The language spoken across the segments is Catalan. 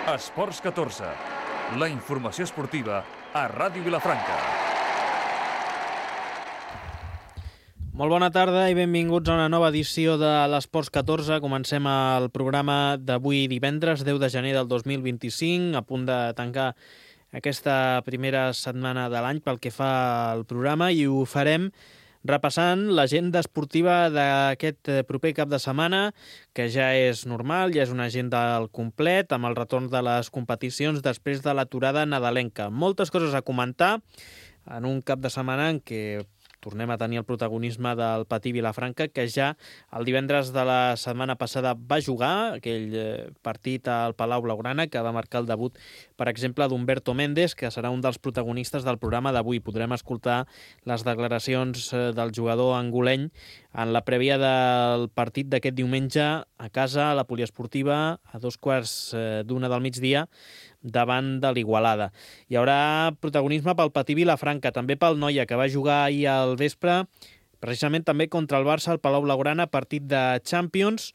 Esports 14, la informació esportiva a Ràdio Vilafranca. Molt bona tarda i benvinguts a una nova edició de l'Esports 14. Comencem el programa d'avui divendres, 10 de gener del 2025, a punt de tancar aquesta primera setmana de l'any pel que fa al programa, i ho farem repassant l'agenda esportiva d'aquest proper cap de setmana, que ja és normal, ja és una agenda al complet, amb el retorn de les competicions després de l'aturada nadalenca. Moltes coses a comentar en un cap de setmana en què tornem a tenir el protagonisme del Patí Vilafranca, que ja el divendres de la setmana passada va jugar aquell partit al Palau Blaugrana, que va marcar el debut, per exemple, d'Humberto Méndez, que serà un dels protagonistes del programa d'avui. Podrem escoltar les declaracions del jugador angoleny en la prèvia del partit d'aquest diumenge a casa, a la Poliesportiva, a 14:15 del migdia, davant de l'Igualada. Hi haurà protagonisme pel Patí Vilafranca, també pel Noia, que va jugar ahir al vespre, precisament també contra el Barça al Palau Blaugrana, partit de Champions,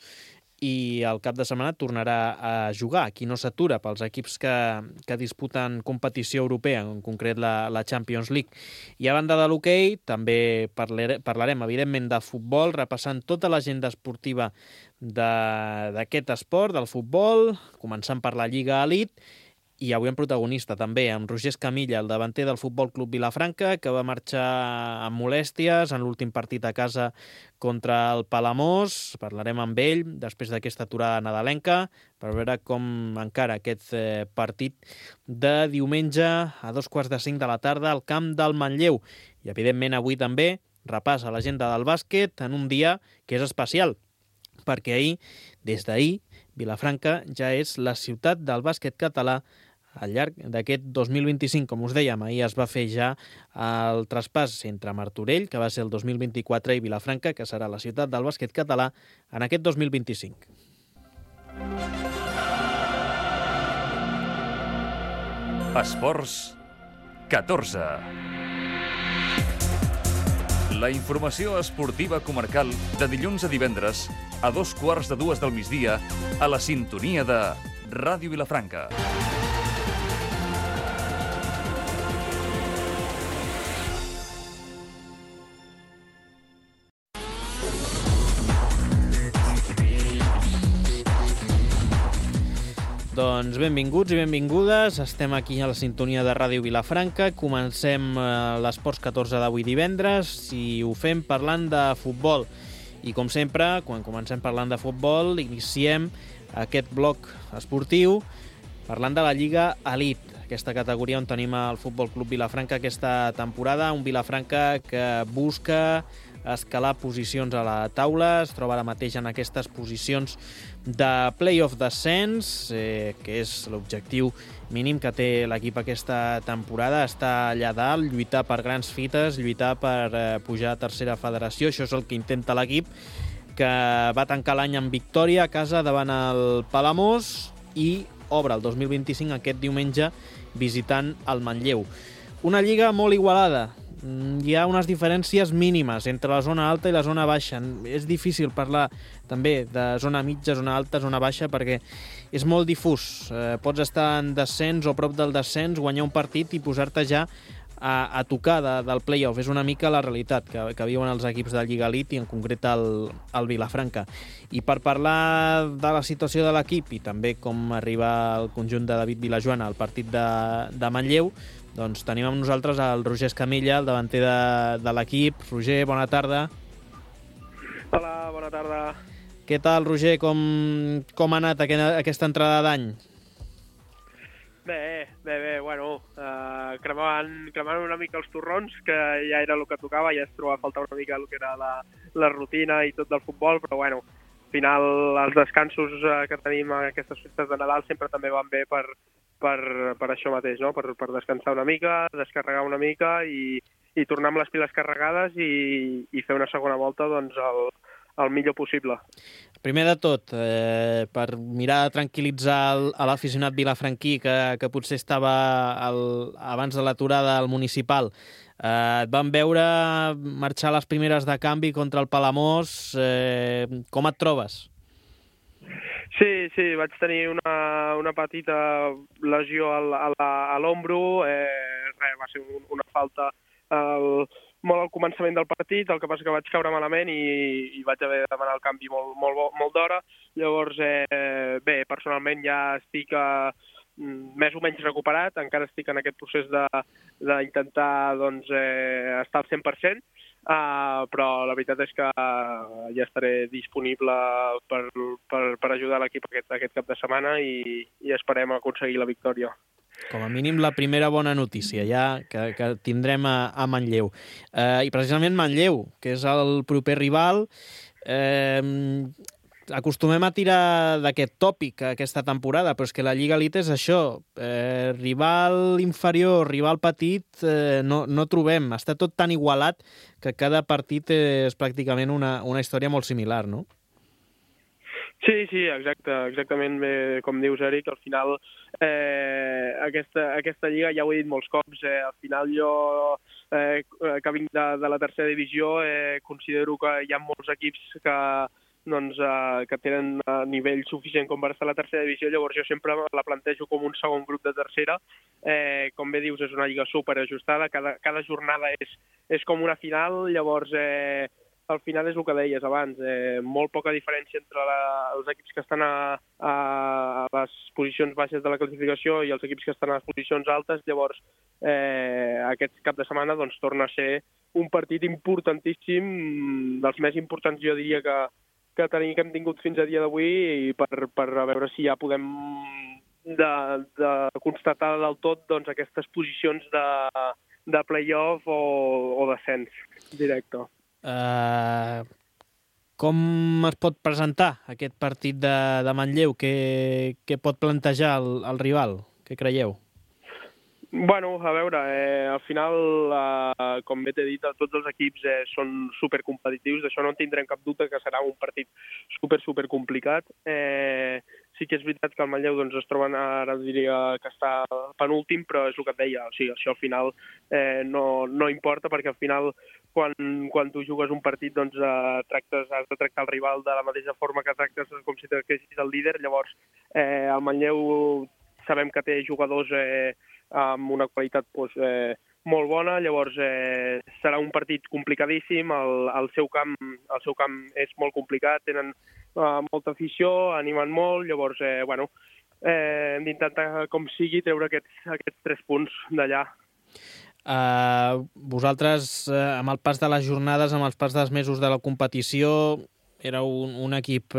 i el cap de setmana tornarà a jugar. Aquí no s'atura pels equips que disputen competició europea, en concret la Champions League. I a banda de l'hoquei, també parlarem, evidentment, de futbol, repassant tota l'agenda esportiva d'aquest esport, del futbol, començant per la Lliga Elite, i avui en protagonista també amb Roger Escamilla, el davanter del Futbol Club Vilafranca, que va marxar amb molèsties en l'últim partit a casa contra el Palamós. Parlarem amb ell després d'aquesta aturada nadalenca per veure com encara aquest partit de diumenge a 2:45 de la tarda al camp del Manlleu. I evidentment avui també repàs a l'agenda del bàsquet en un dia que és especial, perquè des d'ahir, Vilafranca ja és la ciutat del bàsquet català al llarg d'aquest 2025. Com us dèiem, ahir es va fer ja el traspàs entre Martorell, que va ser el 2024, i Vilafranca, que serà la ciutat del bàsquet català en aquest 2025. Esports 14. La informació esportiva comarcal de dilluns a divendres a 2:15 del migdia a la sintonia de Ràdio Vilafranca. Doncs benvinguts i benvingudes, estem aquí a la sintonia de Ràdio Vilafranca, comencem l'Esports 14 d'avui divendres i ho fem parlant de futbol. I com sempre, quan comencem parlant de futbol, iniciem aquest bloc esportiu parlant de la Lliga Elite, aquesta categoria on tenim el Futbol Club Vilafranca aquesta temporada, un Vilafranca que busca escalar posicions a la taula, es troba ara mateix en aquestes posicions de play-off descens, que és l'objectiu mínim que té l'equip aquesta temporada, estar allà dalt, lluitar per grans fites, lluitar per pujar a tercera federació. Això és el que intenta l'equip, que va tancar l'any amb victòria a casa davant el Palamós i obre el 2025 aquest diumenge visitant el Manlleu. Una lliga molt igualada. Hi ha unes diferències mínimes entre la zona alta i la zona baixa. És difícil parlar també de zona mitja, zona alta, zona baixa, perquè és molt difús. Pots estar en descens o prop del descens, guanyar un partit i posar-te ja a tocar del play-off. És una mica la realitat que viuen els equips de Lliga Elite i en concret el Vilafranca. I per parlar de la situació de l'equip i també com arriba el conjunt de David Vilajoana al partit de Manlleu, doncs tenim amb nosaltres el Roger Escamilla, el davanter de l'equip. Roger, bona tarda. Hola, bona tarda. Què tal, Roger? Com ha anat aquesta entrada d'any? Bé, bueno, cremant una mica els torrons, que ja era el que tocava, ja es trobava a faltar una mica el que era la rutina i tot del futbol, però bueno, al final els descansos que tenim a aquestes festes de Nadal sempre també van bé per això mateix, no? Per descansar una mica, descarregar una mica i tornar amb les piles carregades i fer una segona volta doncs el millor possible. Primer de tot, per mirar de tranquil·litzar l'aficionat vilafranquí que potser estava abans de l'aturada al municipal, et van veure marxar les primeres de canvi contra el Palamós. Com et trobes? Sí, vaig tenir una una petita lesió a l'ombro, va ser una falta molt al començament del partit, el que passa que vaig caure malament i vaig haver de demanar el canvi molt d'hora. Llavors, bé, personalment ja estic més o menys recuperat, encara estic en aquest procés d'intentar estar al 100%, però la veritat és que ja estaré disponible per ajudar l'equip aquest cap de setmana i esperem aconseguir la victòria. Com a mínim la primera bona notícia ja que tindrem a Manlleu. I precisament Manlleu, que és el proper rival, acostumem a tirar d'aquest tòpic aquesta temporada, però és que la Lliga Elite és això. Rival inferior, rival petit, no trobem. Està tot tan igualat que cada partit és pràcticament una història molt similar, no? Sí, exactament com dius, Eric. Al final, aquesta lliga, ja ho he dit molts cops, al final jo, que vinc de la tercera divisió, considero que hi ha molts equips que tenen nivell suficient com per estar a la tercera divisió, llavors jo sempre la plantejo com un segon grup de tercera. Com bé dius, és una lliga superajustada, cada jornada és com una final, llavors al final és el que deies abans, molt poca diferència entre els equips que estan a les posicions baixes de la classificació i els equips que estan a les posicions altes. Llavors, aquest cap de setmana torna a ser un partit importantíssim, dels més importants, jo diria, que hem tingut fins a dia d'avui, i per a veure si ja podem de constatar del tot aquestes posicions de play-off o descens directe. Com es pot presentar aquest partit de Manlleu? Què pot plantejar el rival? Què creieu? Bueno, a veure, al final, com bé t'he dit, tots els equips són supercompetitius, d'això no en tindrem cap dubte, que serà un partit super complicat. Sí que és veritat que el Manlleu es troben, ara diria que està penúltim, però és el que et deia, o sigui, això al final no importa, perquè al final quan tu jugues un partit has de tractar el rival de la mateixa forma que tractes com si tractessis el líder. Llavors el Manlleu sabem que té jugadors amb una qualitat molt bona, llavors serà un partit complicadíssim. El seu camp és molt complicat, tenen molta afició, animen molt, llavors hem d'intentar com sigui treure aquests 3 punts d'allà. Vosaltres, amb el pas de les jornades, amb el pas dels mesos de la competició, éreu un equip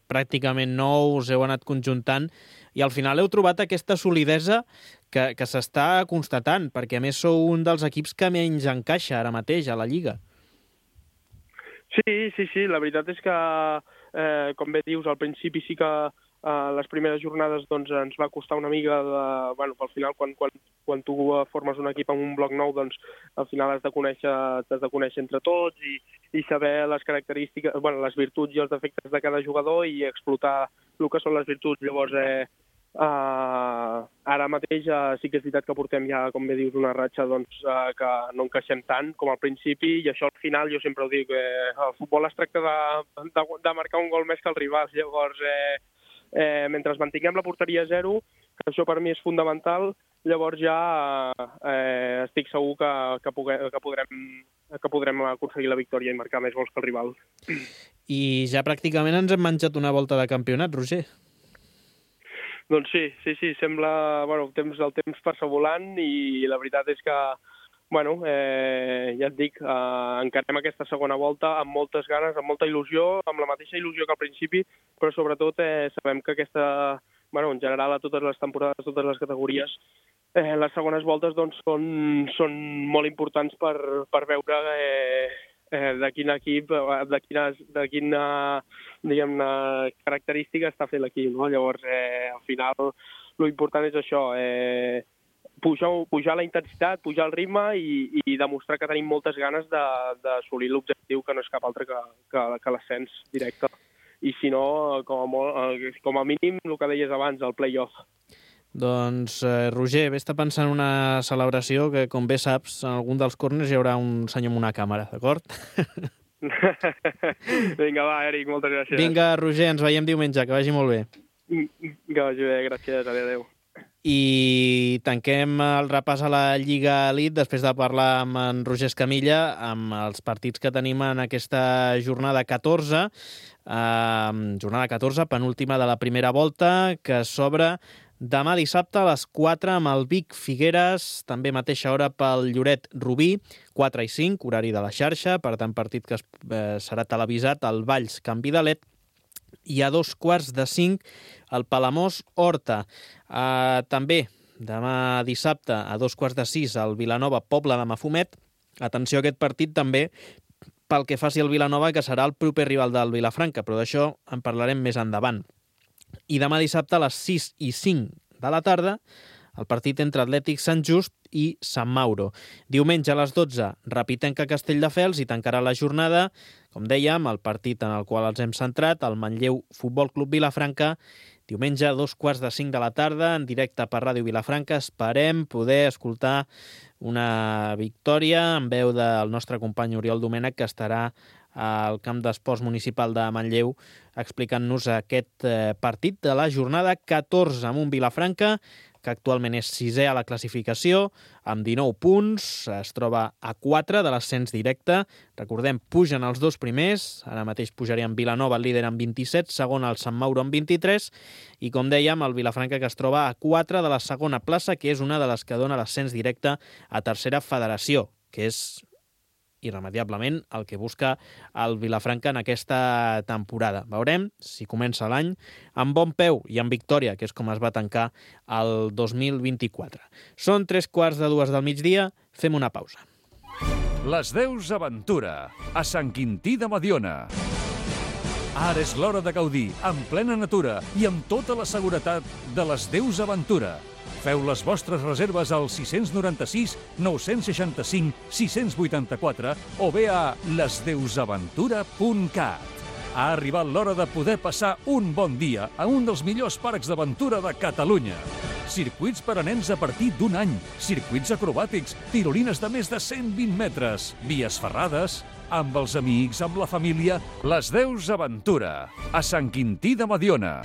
pràcticament nou, us heu anat conjuntant i al final heu trobat aquesta solidesa que s'està constatant, perquè a més sou un dels equips que menys encaixa ara mateix a la Lliga. Sí, la veritat és que, com bé dius, al principi sí que les primeres jornades ens va costar una mica al final quan tu formes un equip amb un bloc nou, al final has de conèixer entre tots i saber les característiques, les virtuts i els defectes de cada jugador i explotar el que són les virtuts. Llavors, ara mateix sí que és veritat que portem ja, com bé dius, una ratxa que no encaixem tant com al principi, i això al final jo sempre ho dic, el futbol es tracta de marcar un gol més que el rival. Llavors, mentre mantinguem la porteria a 0, que això per mi és fundamental, llavors ja estic segur que podrem aconseguir la victòria i marcar més gols que el rival. I ja pràcticament ens hem menjat una volta de campionat, Roger. Doncs sí, sembla el temps passa volant, i la veritat és que ja et dic, encarem aquesta segona volta amb moltes ganes, amb molta il·lusió, amb la mateixa il·lusió que al principi, però sobretot sabem que en general a totes les temporades, a totes les categories, les segones voltes són molt importants per veure de quin equip, de quina diguem-ne característica està fent l'equip, no? Llavors, al final, l'important és això, pujar la intensitat, pujar el ritme i demostrar que tenim moltes ganes d'assolir l'objectiu, que no és cap altre que l'ascens directe. I si no, com a mínim, el que deies abans, el play-off. Doncs, Roger, vés-te pensant en una celebració que, com bé saps, en algun dels córners hi haurà un senyor amb una càmera, d'acord? Vinga, va, Eric, moltes gràcies. Vinga, Roger, ens veiem diumenge, que vagi molt bé. Que vagi bé, gràcies, adéu. I tanquem el repàs a la Lliga Elite després de parlar amb en Roger Escamilla amb els partits que tenim en aquesta jornada 14, jornada 14, penúltima de la primera volta, que s'obre demà dissabte a les 4 amb el Vic Figueres, també mateixa hora pel Lloret Rubí, 4 i 5, horari de la xarxa, per tant partit que serà televisat al Valls Can Vidalet, i a 4:45 el Palamós Horta. També demà dissabte a 5:15 el Vilanova Pobla de Mafumet. Atenció a aquest partit també pel que faci el Vilanova, que serà el proper rival del Vilafranca, però d'això en parlarem més endavant. I demà dissabte a les 6:05 de la tarda el partit entre Atlètic Sant Just i Sant Mauro. Diumenge a les 12, Rapitenca Castelldefels, i tancarà la jornada, com dèiem, el partit en el qual ens hem centrat, el Manlleu Futbol Club Vilafranca, diumenge a 2:45 de la tarda, en directe per Ràdio Vilafranca. Esperem poder escoltar una victòria en veu del nostre company Oriol Domènech, que estarà al camp d'esports municipal de Manlleu explicant-nos aquest partit de la jornada 14 amb un Vilafranca que actualment és 6è a la classificació, amb 19 punts, es troba a 4 de l'ascens directe. Recordem, pugen els dos primers, ara mateix pujarien Vilanova, el líder, amb 27, segon el Sant Mauro amb 23, i com dèiem, el Vilafranca, que es troba a 4 de la segona plaça, que és una de les que dona l'ascens directe a tercera federació, que és irremediablement el que busca el Vilafranca en aquesta temporada. Veurem si comença l'any amb bon peu i amb victòria, que és com es va tancar el 2024. Són 3:15 del migdia, fem una pausa. Les Deus Aventura, a Sant Quintí de Mediona. Ara és l'hora de gaudir, en plena natura i amb tota la seguretat de les Deus Aventura. Feu les vostres reserves al 696 965 684 o bé a lesdeusaventura.cat. Ha arribat l'hora de poder passar un bon dia a un dels millors parcs d'aventura de Catalunya. Circuits per a nens a partir d'un any, circuits acrobàtics, tirolines de més de 120 metres, vies ferrades, amb els amics, amb la família. Les Deus Aventura, a Sant Quintí de Mediona.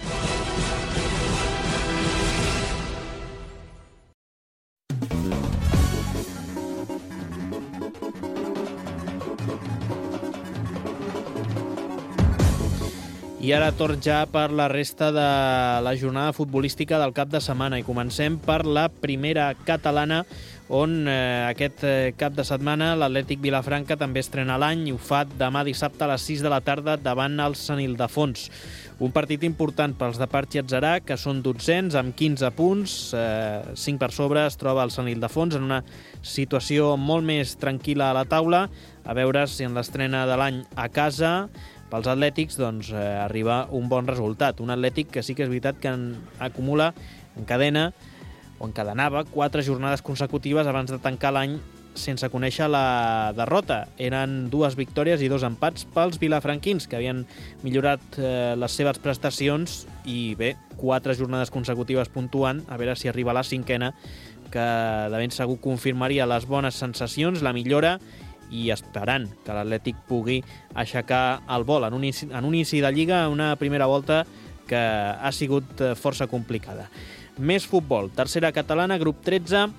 I ara torn ja per la resta de la jornada futbolística del cap de setmana i comencem per la primera catalana, on aquest cap de setmana l'Atlètic Vilafranca també estrena l'any i ho fa demà dissabte a les 6 de la tarda davant el Sant Ildefons. Un partit important pels de Parchi Atzarà, que són 12ens amb 15 punts, 5 per sobre es troba el Sant Ildefons en una situació molt més tranquil·la a la taula, a veure si en l'estrena de l'any a casa pels atlètics doncs, arriba un bon resultat. Un atlètic que sí que és veritat que encadenava 4 jornades consecutives abans de tancar l'any sense conèixer la derrota. Eren 2 victòries i 2 empats pels vilafranquins, que havien millorat les seves prestacions i bé, 4 jornades consecutives puntuant, a veure si arriba a la 5ª, que de ben segur confirmaria les bones sensacions, la millora, i esperant que l'Atlètic pugui aixecar el vol en un inici de Lliga, una primera volta que ha sigut força complicada. Més futbol. Tercera catalana, grup 13.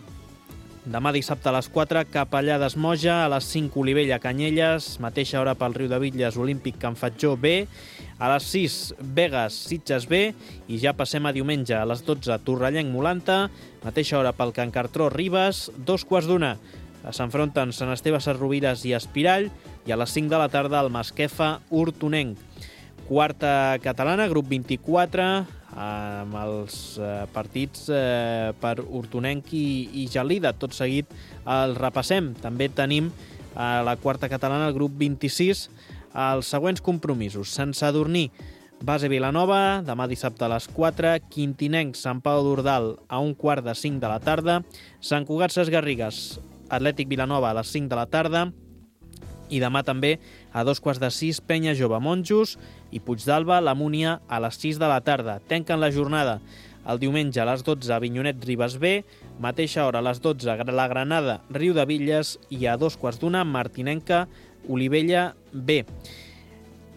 Demà dissabte a les 4, Capellades Moja, a les 5, Olivella Canyelles, mateixa hora pel Riudebitlles, Olímpic Can Fatjó B, a les 6, Begues Sitges B, i ja passem a diumenge a les 12, Torrellenc Molanta, mateixa hora pel Can Cartró Ribes, 2:15. S'enfronten Sant Esteve Sesrovires i Espirall, i a les 5 de la tarda el Masquefa Hortonenc. Quarta catalana, grup 24, amb els partits per Hortonenc i Gelida. Tot seguit el repassem. També tenim a la quarta catalana, el grup 26, els següents compromisos. Sant Sadurní, Base Vilanova, demà dissabte a les 4, Quintinenc, Sant Pau d'Ordal a 4:45 de la tarda, Sant Cugat Ses Garrigues, Atlètic Vilanova a les 5 de la tarda, i demà també a 2:15, Penya Jove Monjos i Puigdàlber, la Múnia a les 6 de la tarda. Tanquen la jornada el diumenge a les 12, Avinyonet Ribes B, mateixa hora a les 12, la Granada Riudebitlles, i a 2:15, Martinenca Olivella B.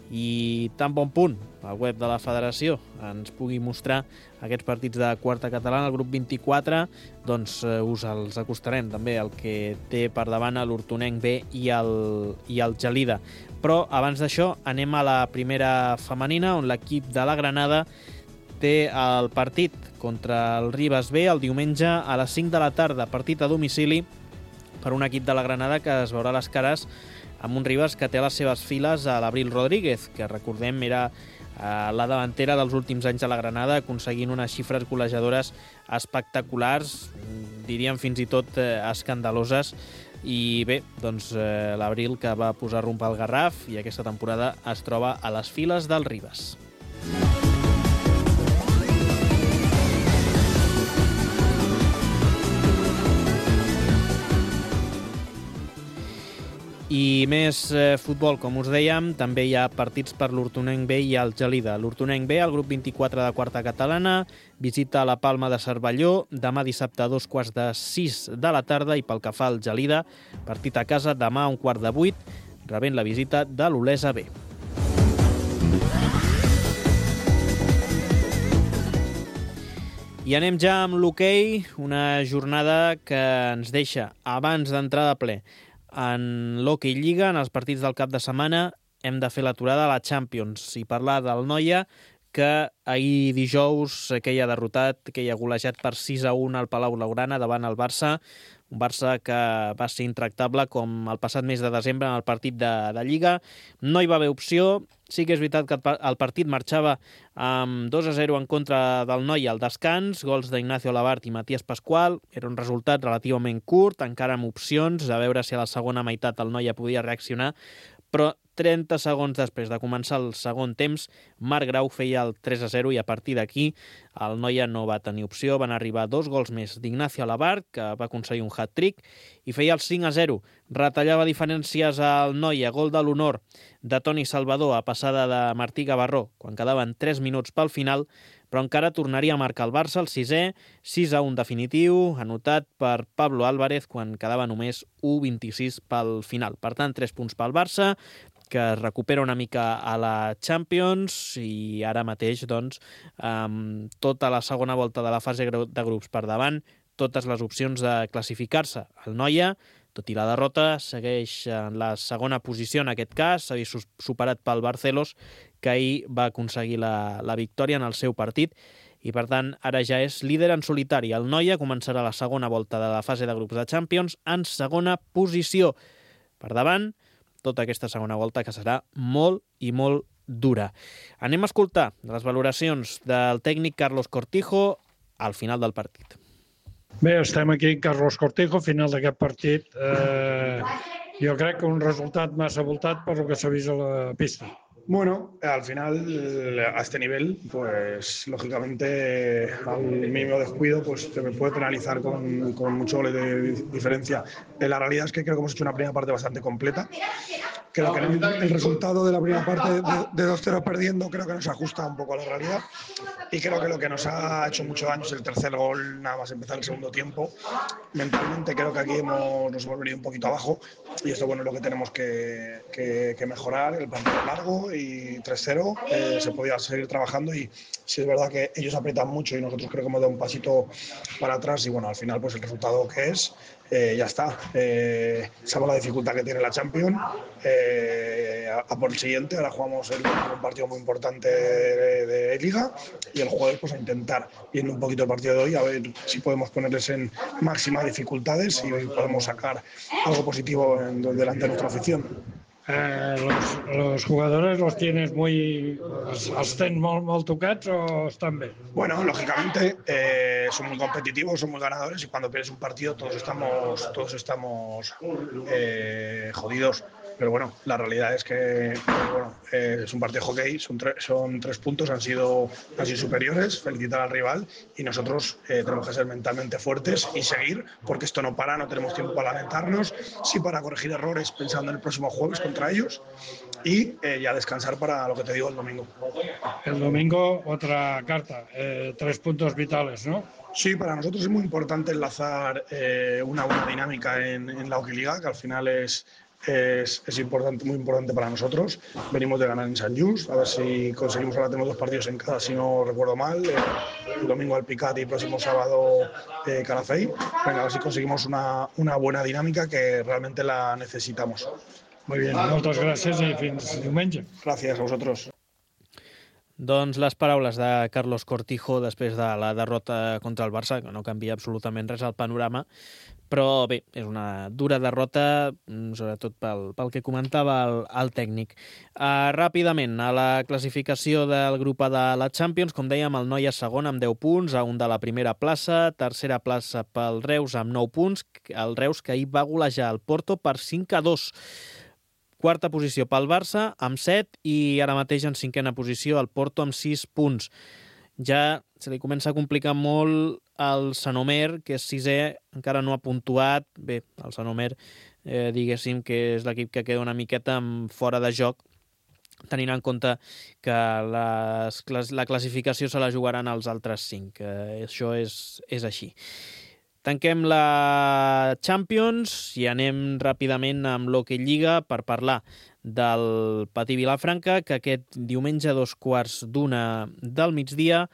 I tan bon punt la web de la federació, ens pugui mostrar aquests partits de quarta catalana, el grup 24, doncs us els acostarem també el que té per davant l'Hortonenc B i el Gelida. Però abans d'això anem a la primera femenina, on l'equip de la Granada té el partit contra el Ribes B el diumenge a les 5 de la tarda, partit a domicili per un equip de la Granada que es veurà les cares amb un Ribes que té a les seves files a l'Abril Rodríguez, que recordem era la davantera dels últims anys de la Granada, aconseguint unes xifres golejadores espectaculars, diríem fins i tot escandaloses. I bé, doncs l'Abril que va posar rumb al Garraf i aquesta temporada es troba a les files del Ribes. I més futbol, com us dèiem, també hi ha partits per l'Hortonenc B i el Gelida. L'Hortonenc B, el grup 24 de quarta catalana, visita la Palma de Cervelló demà dissabte a 2:45 de la tarda, i pel que fa al Gelida, partit a casa demà a 7:15, rebent la visita de l'Olesa B. I anem ja amb l'hoquei, una jornada que ens deixa abans d'entrar de ple en l'Hockey Lliga, en els partits del cap de setmana. Hem de fer l'aturada a la Champions i parlar del Noia, que ahir dijous queia derrotat, queia golejat per 6-1 al Palau Blaugrana davant el Barça, un Barça que va ser intractable com el passat mes de desembre en el partit de Lliga. No hi va haver opció. Sí que és veritat que el partit marxava amb 2-0 en contra del Noia al descans, gols d'Ignacio Labart i Matías Pascual. Era un resultat relativament curt, encara amb opcions, a veure si a la segona meitat el Noia podia reaccionar, però 30 segons després de començar el segon temps, Marc Grau feia el 3-0 i a partir d'aquí el Noia no va tenir opció. Van arribar 2 gols més d'Ignacio Labart, que va aconseguir un hat-trick, i feia el 5-0. Retallava diferències al Noia, gol de l'honor de Toni Salvador a passada de Martí Gavarró, quan quedaven 3 minuts pel final, però encara tornaria a marcar el Barça el 6è, 6-1 definitiu, anotat per Pablo Álvarez quan quedava només 1:26 pel final. Per tant, 3 punts pel Barça, que es recupera una mica a la Champions, i ara mateix, doncs, amb tota la segona volta de la fase de grups per davant, totes les opcions de classificar-se. El Noia, tot i la derrota, segueix en la segona posició en aquest cas, s'ha vist superat pel Barcelos, que ahir va aconseguir la victòria en el seu partit, i per tant ara ja és líder en solitari. El Noia començarà la segona volta de la fase de grups de Champions en segona posició. Per davant, tota aquesta segona volta, que serà molt i molt dura. Anem a escoltar les valoracions del tècnic Carlos Cortijo al final del partit. Bé, estem aquí amb Carlos Cortijo, final d'aquest partit. Jo crec que un resultat massa voltat per el que s'ha vist a la pista. Bueno, al final, a este nivel, pues lógicamente al mínimo descuido pues se me puede penalizar con muchos goles de diferencia. La realidad es que creo que hemos hecho una primera parte bastante completa. Creo que el resultado de la primera parte de 2-0 perdiendo creo que nos ajusta un poco a la realidad, y creo que lo que nos ha hecho mucho daño es el tercer gol, nada más empezar el segundo tiempo. Mentalmente creo que aquí nos hemos venido un poquito abajo, y esto bueno, es lo que tenemos que mejorar. El partido largo y 3-0, se podía seguir trabajando, y sí es verdad que ellos aprietan mucho y nosotros creo que hemos dado un pasito para atrás, y bueno, al final pues el resultado que es, ya está. Sabemos la dificultad que tiene la Champions, a por el siguiente. Ahora jugamos un partido muy importante de Liga, y el jueves pues a intentar, viendo un poquito el partido de hoy, a ver si podemos ponerles en máximas dificultades y podemos sacar algo positivo delante de nuestra afición. Los jugadores los tienes els tens molt tocats o estan bé? Bueno, lógicamente son muy competitivos, son muy ganadores, y cuando pierdes un partido todos estamos jodidos. Pero bueno, la realidad es que es un partido de hockey, son 3 puntos, han sido superiores, felicitar al rival, y nosotros tenemos que ser mentalmente fuertes y seguir, porque esto no para, no tenemos tiempo para lamentarnos, sí para corregir errores pensando en el próximo jueves contra ellos, y ya descansar para lo que te digo el domingo. El domingo otra carta, 3 puntos vitales, ¿no? Sí, para nosotros es muy importante enlazar una buena dinámica en la Hockey Liga, que al final es es muy importante para nosotros. Venimos de ganar en Sant Just, a ver si conseguimos, ahora tenemos 2 partidos en casa, si no recuerdo mal, el domingo Alpicat y próximo sábado Calafell. Venga, a ver si conseguimos una buena dinámica que realmente la necesitamos. Muy bien, moltes gràcies i fins diumenge. Gracias a vosotros. Doncs les paraules de Carlos Cortijo després de la derrota contra el Barça, que no canvia absolutament res al panorama, però bé, és una dura derrota, sobretot pel que comentava el tècnic. Ràpidament, a la classificació del grup A de la Champions, com dèiem, el Noia segon amb 10 punts, a un de la primera plaça, tercera plaça pel Reus amb 9 punts, el Reus que ahir va golejar el Porto per 5-2. Quarta posició pel Barça, amb 7, i ara mateix en cinquena posició el Porto amb 6 punts. Ja se li comença a complicar molt el Sant Omer, que és sisè, encara no ha puntuat. Bé, el Sant Omer, diguéssim que és l'equip que queda una miqueta fora de joc, tenint en compte que la classificació se la jugaran els altres 5. Això és així. Tanquem la Champions i anem ràpidament amb l'Hockey Lliga per parlar del Patí Vilafranca, que aquest diumenge a 2:15 del migdia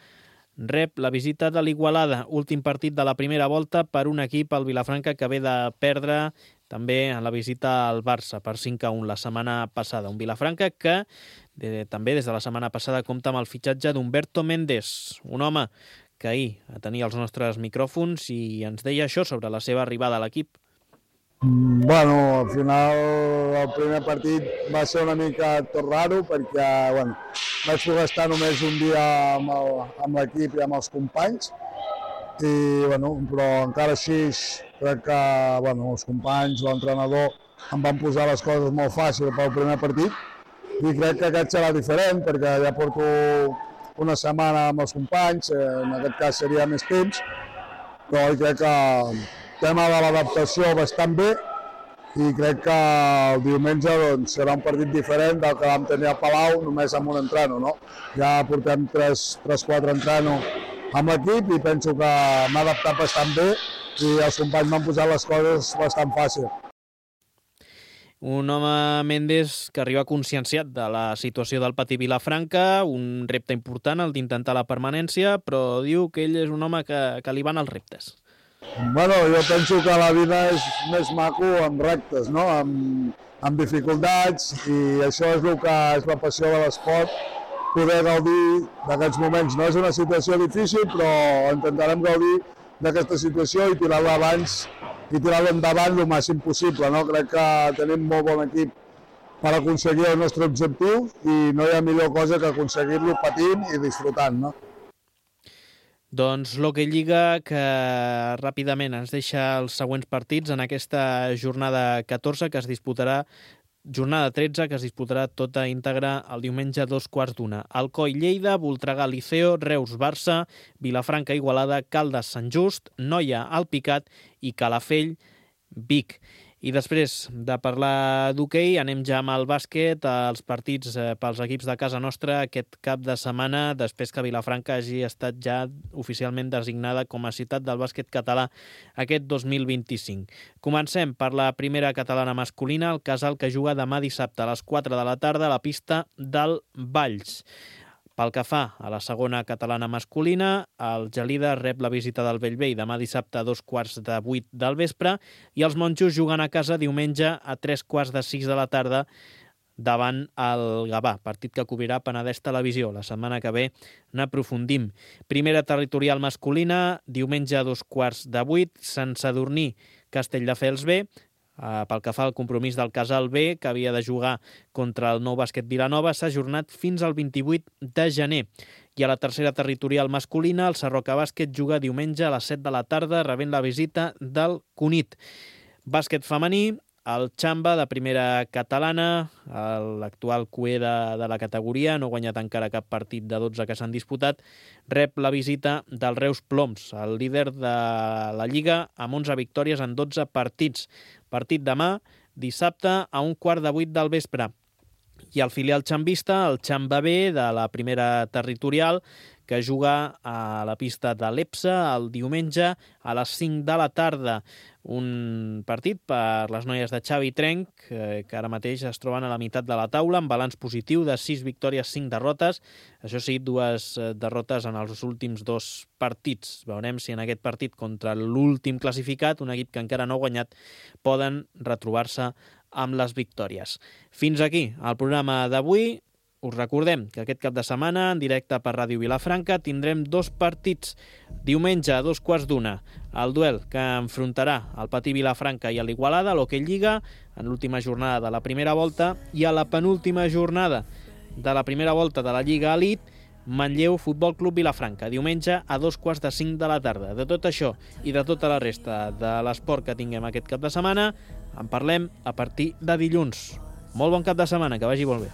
rep la visita de l'Igualada, últim partit de la primera volta per un equip, el Vilafranca, que ve de perdre també en la visita al Barça per 5-1 la setmana passada. Un Vilafranca que també des de la setmana passada compta amb el fitxatge d'Humberto Méndez, un home que ahir tenia els nostres micròfons i ens deia això sobre la seva arribada a l'equip. Bueno, al final el primer partit va ser una mica tot raro perquè vaig poder estar només un dia amb l'equip i amb els companys però encara així crec que els companys, l'entrenador em van posar les coses molt fàcils pel primer partit i crec que aquest serà diferent perquè ja porto una setmana amb els companys, en aquest cas seria més temps, però crec que el tema de l'adaptació bastant bé i crec que el diumenge serà un partit diferent del que vam tenir a Palau només amb un entreno. No? Ja portem 3-4 entrenos amb l'equip i penso que m'ha adaptat bastant bé i els companys m'han posat les coses bastant fàcil. Un home, Méndez, que arriba conscienciat de la situació del Patí Vilafranca, un repte important, el d'intentar la permanència, però diu que ell és un home que li van els reptes. Jo penso que la vida és més maco amb reptes, no? amb dificultats, i això és el que és la passió de l'esport, poder gaudir d'aquests moments. No és una situació difícil, però intentarem gaudir d'aquesta situació i tirar-la endavant el màxim possible. No? Crec que tenim molt bon equip per aconseguir el nostre objectiu i no hi ha millor cosa que aconseguir-lo patint i disfrutant. No? Doncs l'Hockey Lliga, que ràpidament ens deixa els següents partits en aquesta jornada 14 que es disputarà, jornada 13 que es disputarà tota íntegra el diumenge a 2:15. Alcoi Lleida, Voltregà Liceo, Reus Barça, Vilafranca Igualada, Caldes Sant Just, Noia Alpicat i Calafell Vic. I després de parlar d'hoquei, anem ja amb el bàsquet, els partits pels equips de casa nostra aquest cap de setmana, després que Vilafranca hagi estat ja oficialment designada com a ciutat del bàsquet català aquest 2025. Comencem per la primera catalana masculina, el Casal, que juga demà dissabte a les 4 de la tarda a la pista del Valls. Pel que fa a la segona catalana masculina, el Gelida rep la visita del Bellvei demà dissabte a 7:15 del vespre i els monjos juguen a casa diumenge a 5:45 de la tarda davant el Gavà, partit que cobrirà Penedès Televisió. La setmana que ve n'aprofundim. Primera territorial masculina, diumenge a 7:15, Sant Sadurní, Castelldefels B. Pel que fa al compromís del Casal B, que havia de jugar contra el Nou Bàsquet Vilanova, s'ha ajornat fins al 28 de gener. I a la tercera territorial masculina, el Sarroca Bàsquet juga diumenge a les 7 de la tarda, rebent la visita del Cunit. Bàsquet femení, el Xamba, de primera catalana, l'actual cué de la categoria, no ha guanyat encara cap partit de 12 que s'han disputat, rep la visita del Reus Ploms, el líder de la Lliga, amb 11 victòries en 12 partits. Partit demà, dissabte, a 7:15 del vespre. I el filial xambista, el Xamba B, de la primera territorial, que juga a la pista de l'Epsa el diumenge a les 5 de la tarda. Un partit per les noies de Xavi Trenc, que ara mateix es troben a la meitat de la taula, amb balanç positiu de 6 victòries, 5 derrotes. Això sí, 2 derrotes en els últims 2 partits. Veurem si en aquest partit contra l'últim classificat, un equip que encara no ha guanyat, poden retrobar-se amb les victòries. Fins aquí el programa d'avui. Us recordem que aquest cap de setmana, en directe per Ràdio Vilafranca, tindrem 2 partits. Diumenge a 2:15, el duel que enfrontarà el Patí Vilafranca i l'Igualada, l'Hoquei Lliga, en l'última jornada de la primera volta, i a la penúltima jornada de la primera volta de la Lliga Elite, Manlleu Futbol Club Vilafranca, diumenge a 2:45 de la tarda. De tot això i de tota la resta de l'esport que tinguem aquest cap de setmana, en parlem a partir de dilluns. Molt bon cap de setmana, que vagi molt bé.